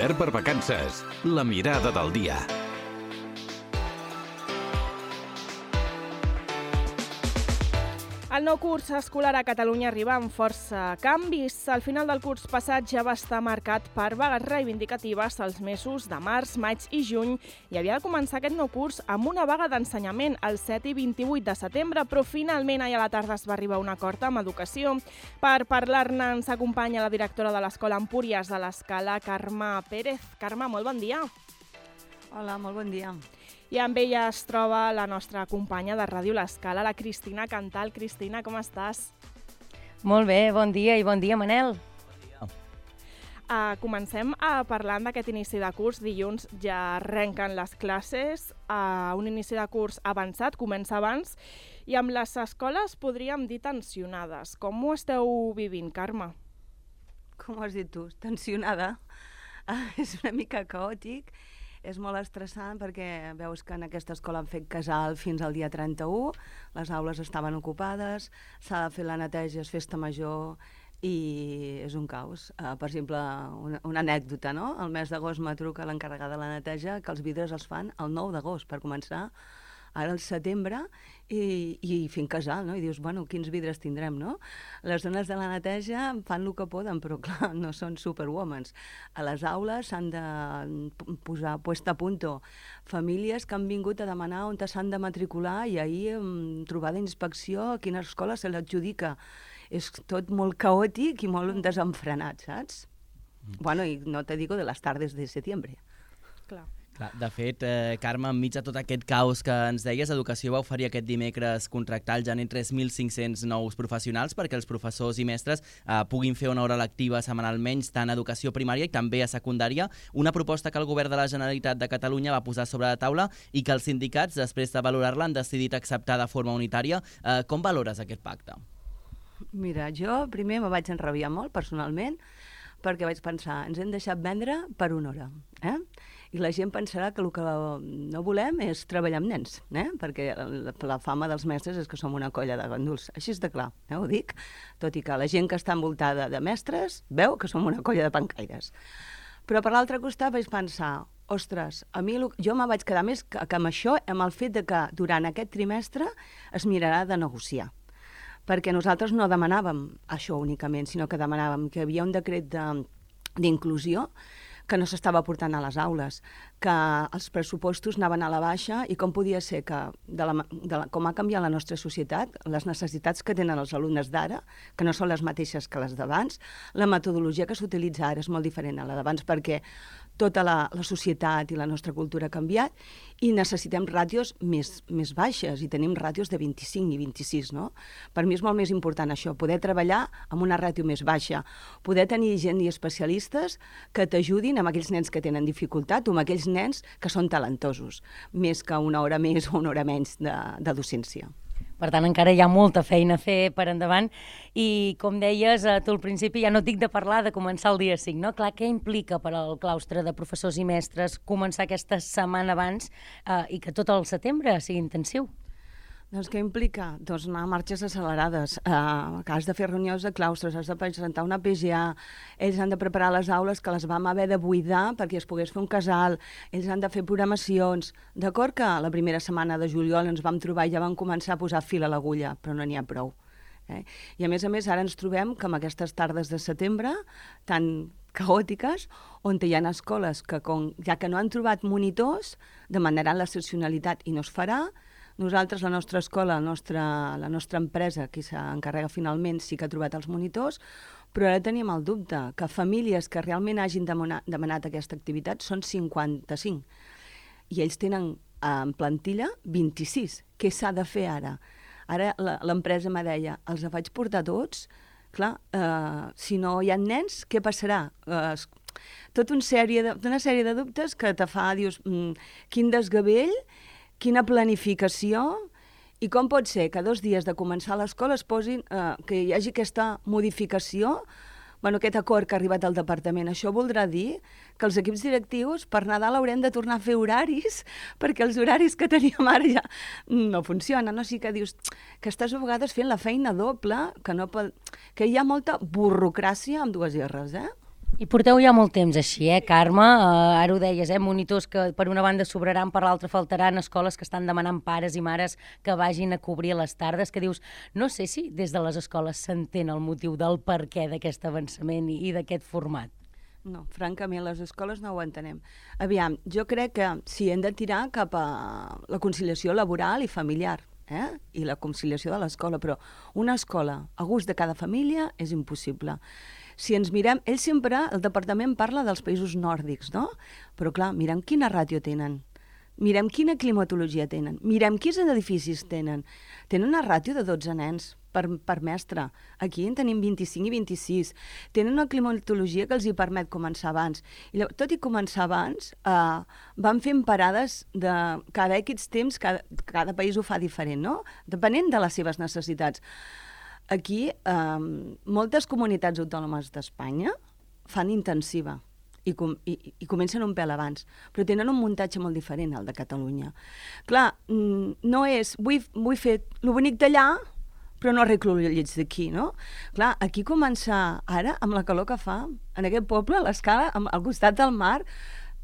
Obert per vacances. La mirada del dia. El nou curs escolar a Catalunya arriba amb força canvis. Al final del curs passat ja va estar marcat per vagues reivindicatives als mesos de març, maig i juny i havia de començar aquest nou curs amb una vaga d'ensenyament el 7 i 28 de setembre, però finalment ahir a la tarda es va arribar a un acord amb Educació. Per parlar-ne ens acompanya la directora de l'Escola Empúries de l'Escala, Carme Pérez. Carme, molt bon dia. Hola, molt bon dia. I amb ella es troba la nostra companya de Ràdio L'Escala, la Cristina Cantal. Cristina, com estàs? Molt bé, bon dia i bon dia, Manel. Bon dia. Comencem parlant d'aquest inici de curs. Dilluns ja arrenquen les classes, un inici de curs avançat, comença abans, i amb les escoles podríem dir tensionades. Com ho esteu vivint, Carme? Com ho has dit tu? Tensionada. És una mica caòtic. És molt estressant perquè veus que en aquesta escola han fet casal fins al dia 31, les aules estaven ocupades, s'ha de fer la neteja, és festa major i és un caos. Per exemple, una anècdota, no? El mes d'agost me truca l'encarregada de la neteja que els vidres els fan el 9 d'agost per començar, ara al setembre, i fent casal, no? I dius, bueno, quins vidres tindrem, no? Les dones de la neteja fan el que poden, però clar, no són superwomans. A les aules s'han de posar puesta a punto famílies que han vingut a demanar on s'han de matricular i ahir trobada d'inspecció a quina escola se l'adjudica. És tot molt caòtic i molt desenfrenat, saps? Bueno, i no te digo de les tardes de setembre. Clar. De fet, Carme, enmig de tot aquest caos que ens deies, Educació va oferir aquest dimecres contractar al gener 3.500 nous professionals perquè els professors i mestres puguin fer una hora lectiva setmanalment tant a educació primària i també a secundària, una proposta que el govern de la Generalitat de Catalunya va posar sobre la taula i que els sindicats, després de valorar-la, han decidit acceptar de forma unitària. Com valores aquest pacte? Mira, jo primer me vaig enrabiar molt, personalment, perquè vaig pensar, ens hem deixat vendre per una hora, I la gent pensarà que el que no volem és treballar amb nens, perquè la fama dels mestres és que som una colla de ganduls. Així és de clar, ho dic, tot i que la gent que està envoltada de mestres veu que som una colla de pencaires. Però per l'altre costat vaig pensar, ostres, a mi jo me vaig quedar més que amb això, amb el fet de que durant aquest trimestre es mirarà de negociar. Perquè nosaltres no demanàvem això únicament, sinó que demanàvem que hi havia un decret d'inclusió que no s'estava portant a les aules, que els pressupostos anaven a la baixa i com podia ser que, com ha canviat la nostra societat, les necessitats que tenen els alumnes d'ara, que no són les mateixes que les d'abans, la metodologia que s'utilitza ara és molt diferent a la d'abans perquè tota la societat i la nostra cultura ha canviat i necessitem ràtios més baixes i tenim ràtios de 25 i 26, no? Per mi és molt més important això, poder treballar amb una ràtio més baixa, poder tenir gent i especialistes que t'ajudin amb aquells nens que tenen dificultat o amb aquells nens que són talentosos, més que una hora més o una hora menys de docència. Per tant, encara hi ha molta feina a fer per endavant i, com deies, tu al principi ja no et dic de parlar de començar el dia 5, no? Clar, què implica per al claustre de professors i mestres començar aquesta setmana abans i que tot el setembre sigui intensiu? Doncs què implica? Doncs anar a marxes accelerades, que has de fer reunions de claustres, has de presentar una PGA, ells han de preparar les aules que les vam haver de buidar perquè es pogués fer un casal, ells han de fer programacions. D'acord que la primera setmana de juliol ens vam trobar i ja vam començar a posar fil a l'agulla, però no n'hi ha prou. I a més, ara ens trobem que amb aquestes tardes de setembre tan caòtiques, on hi ha escoles que, ja que no han trobat monitors, demanaran l'excepcionalitat i no es farà. Nosaltres, la nostra escola, la nostra empresa, qui s'encarrega finalment, sí que ha trobat els monitors, però ara tenim el dubte que famílies que realment hagin demanat aquesta activitat són 55 i ells tenen en plantilla 26. Què s'ha de fer ara? Ara l'empresa me deia, els vaig portar tots, clar, si no hi ha nens, què passarà? Tota una sèrie de dubtes que te fa, dius, quin desgavell, quina planificació i com pot ser que 2 dies de començar l'escola es posin, que hi hagi aquesta modificació, aquest acord que ha arribat al departament. Això voldrà dir que els equips directius per Nadal haurem de tornar a fer horaris perquè els horaris que teníem ara ja no funcionen. O sigui que dius que estàs a vegades fent la feina doble, que hi ha molta burocràcia amb 2 R's, I porteu ja molt temps així, Carme? Ara ho deies, monitors que per una banda sobraran, per l'altra faltaran, escoles que estan demanant pares i mares que vagin a cobrir a les tardes, que dius, no sé si des de les escoles s'entén el motiu del per què d'aquest avançament i d'aquest format. No, francament, les escoles no ho entenem. Aviam, jo crec que sí, hem de tirar cap a la conciliació laboral i familiar, i la conciliació de l'escola, però una escola a gust de cada família és impossible. Si ens mirem, el departament parla dels països nòrdics, no? Però clar, mirem quina ràtio tenen, mirem quina climatologia tenen, mirem quins edificis tenen. Tenen una ràtio de 12 nens per mestre. Aquí en tenim 25 i 26. Tenen una climatologia que els hi permet començar abans. I tot i començar abans, van fent parades de cada X temps, cada país ho fa diferent, no? Depenent de les seves necessitats. Aquí, moltes comunitats autònomes d'Espanya fan intensiva i comencen un pèl abans, però tenen un muntatge molt diferent al de Catalunya. Clar, no és, vull fer el bonic d'allà, però no arreglo el lleig d'aquí, no? Clar, aquí començar ara, amb la calor que fa, en aquest poble, a l'escala, al costat del mar,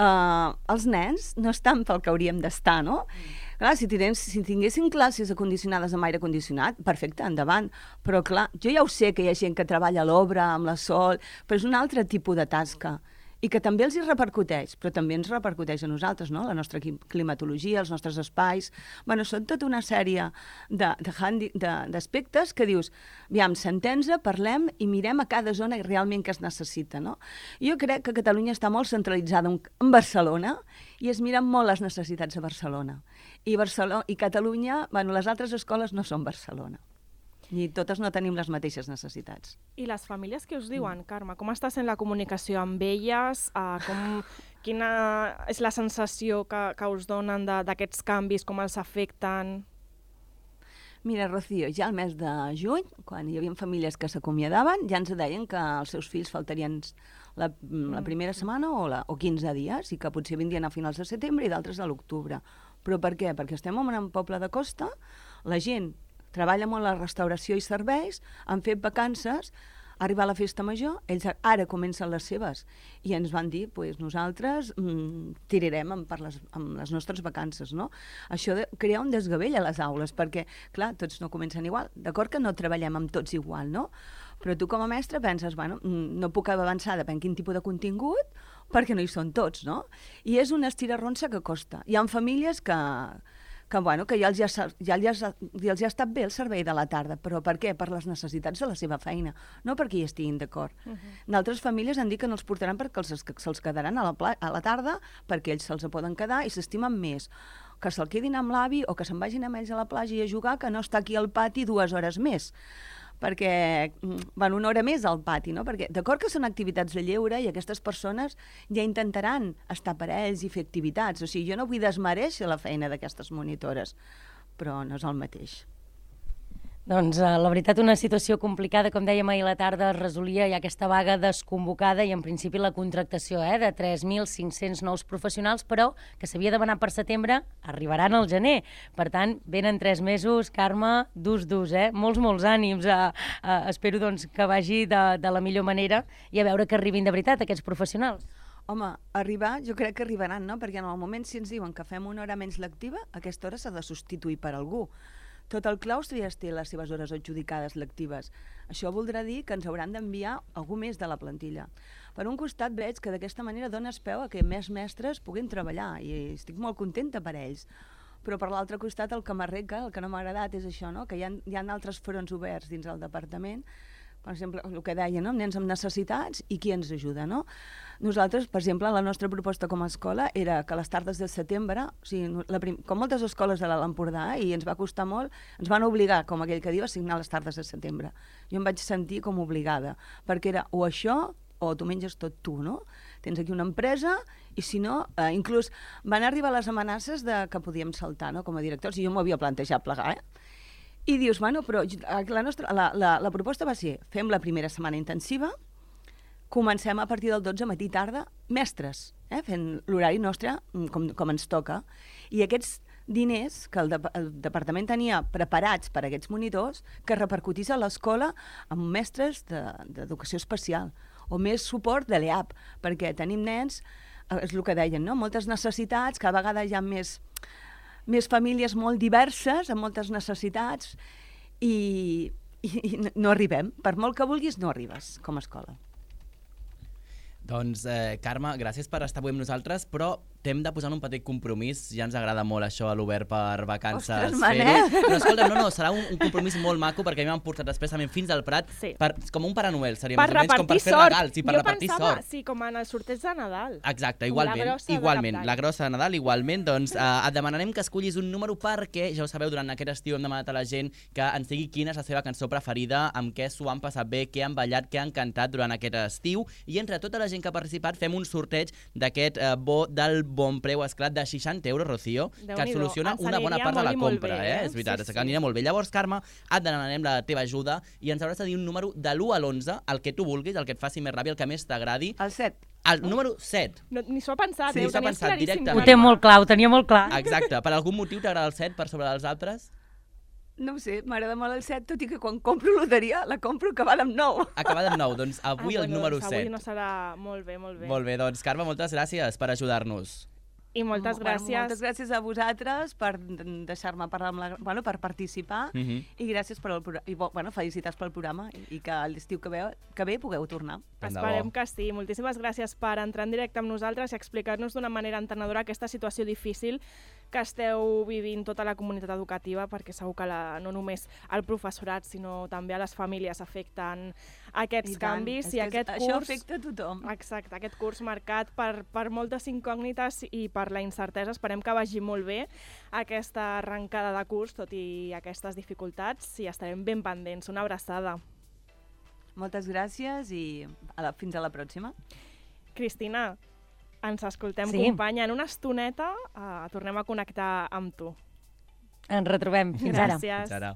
els nens no estan pel que hauríem d'estar, no? Clar, si tinguessin classes acondicionades amb aire condicionat, perfecte, endavant. Però clar, jo ja ho sé que hi ha gent que treballa a l'obra, amb la sol, però és un altre tipus de tasca. I que també els hi repercuteix, però també ens repercuteix a nosaltres, no? La nostra climatologia, els nostres espais. Bueno, són tota una sèrie d'aspectes que dius, aviam, sentem-se, parlem i mirem a cada zona realment que es necessita, no? Jo crec que Catalunya està molt centralitzada en Barcelona i es miren molt les necessitats de Barcelona. I Catalunya, bueno, les altres escoles no són Barcelona. I totes no tenim les mateixes necessitats. I les famílies què us diuen, Carme? Com està sent la comunicació amb elles? Quina és la sensació que us donen d'aquests canvis, com els afecten? Mira, Rocío, ja al mes de juny, quan hi havia famílies que s'acomiadaven, ja ens deien que els seus fills faltarien la primera setmana o 15 dies i que potser vindrien a finals de setembre i d'altres a l'octubre. Però per què? Perquè estem en un poble de costa, la gent treballa molt a la restauració i serveis, han fet vacances, arribar a la festa major, ells ara comencen les seves i ens van dir, pues, nosaltres tirarem amb les nostres vacances, no? Això de crear un desgavell a les aules, perquè, clar, tots no comencen igual. D'acord que no treballem amb tots igual, no? Però tu com a mestre penses, bueno, no puc avançar depèn quin tipus de contingut, perquè no hi són tots, no? I és una estirarronsa que costa. Hi ha famílies que ja els ha estat bé el servei de la tarda, però per què? Per les necessitats de la seva feina, no perquè hi estiguin d'acord. D'altres famílies han dit que no els portaran perquè se'ls quedaran a la tarda, perquè ells se'ls poden quedar i s'estimen més que se'l quedin amb l'avi o que se'n vagin amb ells a la platja i a jugar, que no està aquí al pati 2 hores més. Perquè van una hora més al pati, no? Perquè d'acord que són activitats de lleure i aquestes persones ja intentaran estar per ells i fer activitats. O sigui, jo no vull desmereixer la feina d'aquestes monitores, però no és el mateix. Doncs la veritat una situació complicada, com dèiem ahir a la tarda es resolia ja aquesta vaga desconvocada i en principi la contractació de 3.500 nous professionals, però que s'havia de demanar per setembre, arribaran al gener. Per tant, venen 3 mesos, Carme, durs, molts ànims. Espero doncs, que vagi de la millor manera i a veure que arribin de veritat aquests professionals. Home, arribar, jo crec que arribaran, no? Perquè en el moment si ens diuen que fem una hora menys lectiva, aquesta hora s'ha de substituir per algú. Tot el claustre ja té les seves hores adjudicades lectives. Això voldrà dir que ens hauran d'enviar algú més de la plantilla. Per un costat veig que d'aquesta manera dones peu a que més mestres puguin treballar i estic molt contenta per ells. Però per l'altre costat el que m'arrenca, el que no m'ha agradat és això, no? Que hi ha altres fronts oberts dins el departament, per exemple, el que deia, no? Nens amb necessitats i qui ens ajuda, no? Nosaltres, per exemple, la nostra proposta com a escola era que a les tardes de setembre, o sigui, com moltes escoles de l'Alt Empordà, i ens va costar molt, ens van obligar, com aquell que diu, a signar les tardes de setembre. Jo em vaig sentir com obligada, perquè era o això o tu menges tot tu, no? Tens aquí una empresa i si no, inclús van arribar les amenaces de que podíem saltar, no?, com a directors, i jo m'ho havia plantejat plegar, I dius, bueno, però la proposta va ser, fem la primera setmana intensiva, comencem a partir del 12 matí tarda, mestres, fent l'horari nostre com ens toca. I aquests diners que el departament tenia preparats per a aquests monitors, que repercutís a l'escola amb mestres d'educació especial o més suport de l'EAP, perquè tenim nens, és el que deien, no? Moltes necessitats, cada vegada hi ha més famílies molt diverses, amb moltes necessitats, i no arribem. Per molt que vulguis, no arribes com a escola. Doncs, Carme, gràcies per estar avui amb nosaltres, però t'hem de posar en un petit compromís. Ja ens agrada molt això a l'Obert per vacances. Ostres, Manel! Però escolta, no, serà un compromís molt maco, perquè a mi m'han portat expressament fins al Prat, com un Pare Noel, seria per més o menys com per fer regals i per repartir sort. Sí, com en el sorteig de Nadal. Exacte, igualment. La grossa de Nadal, igualment. Doncs et demanarem que escollis un número perquè, ja ho sabeu, durant aquest estiu hem demanat a la gent que ens digui quina és la seva cançó preferida, amb què s'ho han passat bé, què han ballat, què han cantat durant aquest estiu, i entre tota la gent que ha participat fem un sorteig d'aquest bo del bon preu esclat de 60 euros, Rocío, que et soluciona una bona part de la compra. És veritat, que anirà molt bé. Llavors, Carme, et demanarem la teva ajuda i ens hauràs de dir un número de l'1 a l'11, el que tu vulguis, el que et faci més ràbia, el que més t'agradi. El 7. El número 7. Ni s'ho ha pensat, Ni s'ho ha pensat directament. Ho té molt clar, ho tenia molt clar. Exacte. Per algun motiu t'agrada el 7 per sobre dels altres? No ho sé, m'agrada molt el 7, tot i que quan compro loteria la compro acabada amb 9. Acabada amb 9, doncs avui el número 7. Avui no serà molt bé, molt bé. Molt bé, doncs Carme, moltes gràcies per ajudar-nos. I moltes gràcies. Moltes gràcies a vosaltres per deixar-me parlar per participar i gràcies per felicitats pel programa i que l'estiu que ve pugueu tornar. Esperem que sí. Moltíssimes gràcies per entrar en directe amb nosaltres i explicar-nos d'una manera entenedora aquesta situació difícil que esteu vivint tota la comunitat educativa, perquè segur que no només el professorat, sinó també a les famílies afecten aquests canvis. I aquest curs, això afecta a tothom. Exacte, aquest curs marcat per moltes incògnites i per la incertesa. Esperem que vagi molt bé aquesta arrencada de curs, tot i aquestes dificultats, i estarem ben pendents. Una abraçada. Moltes gràcies i fins a la pròxima. Cristina, ens escoltem, companya. En una estoneta tornem a connectar amb tu. Ens retrobem. Fins ara. Gràcies. Fins ara.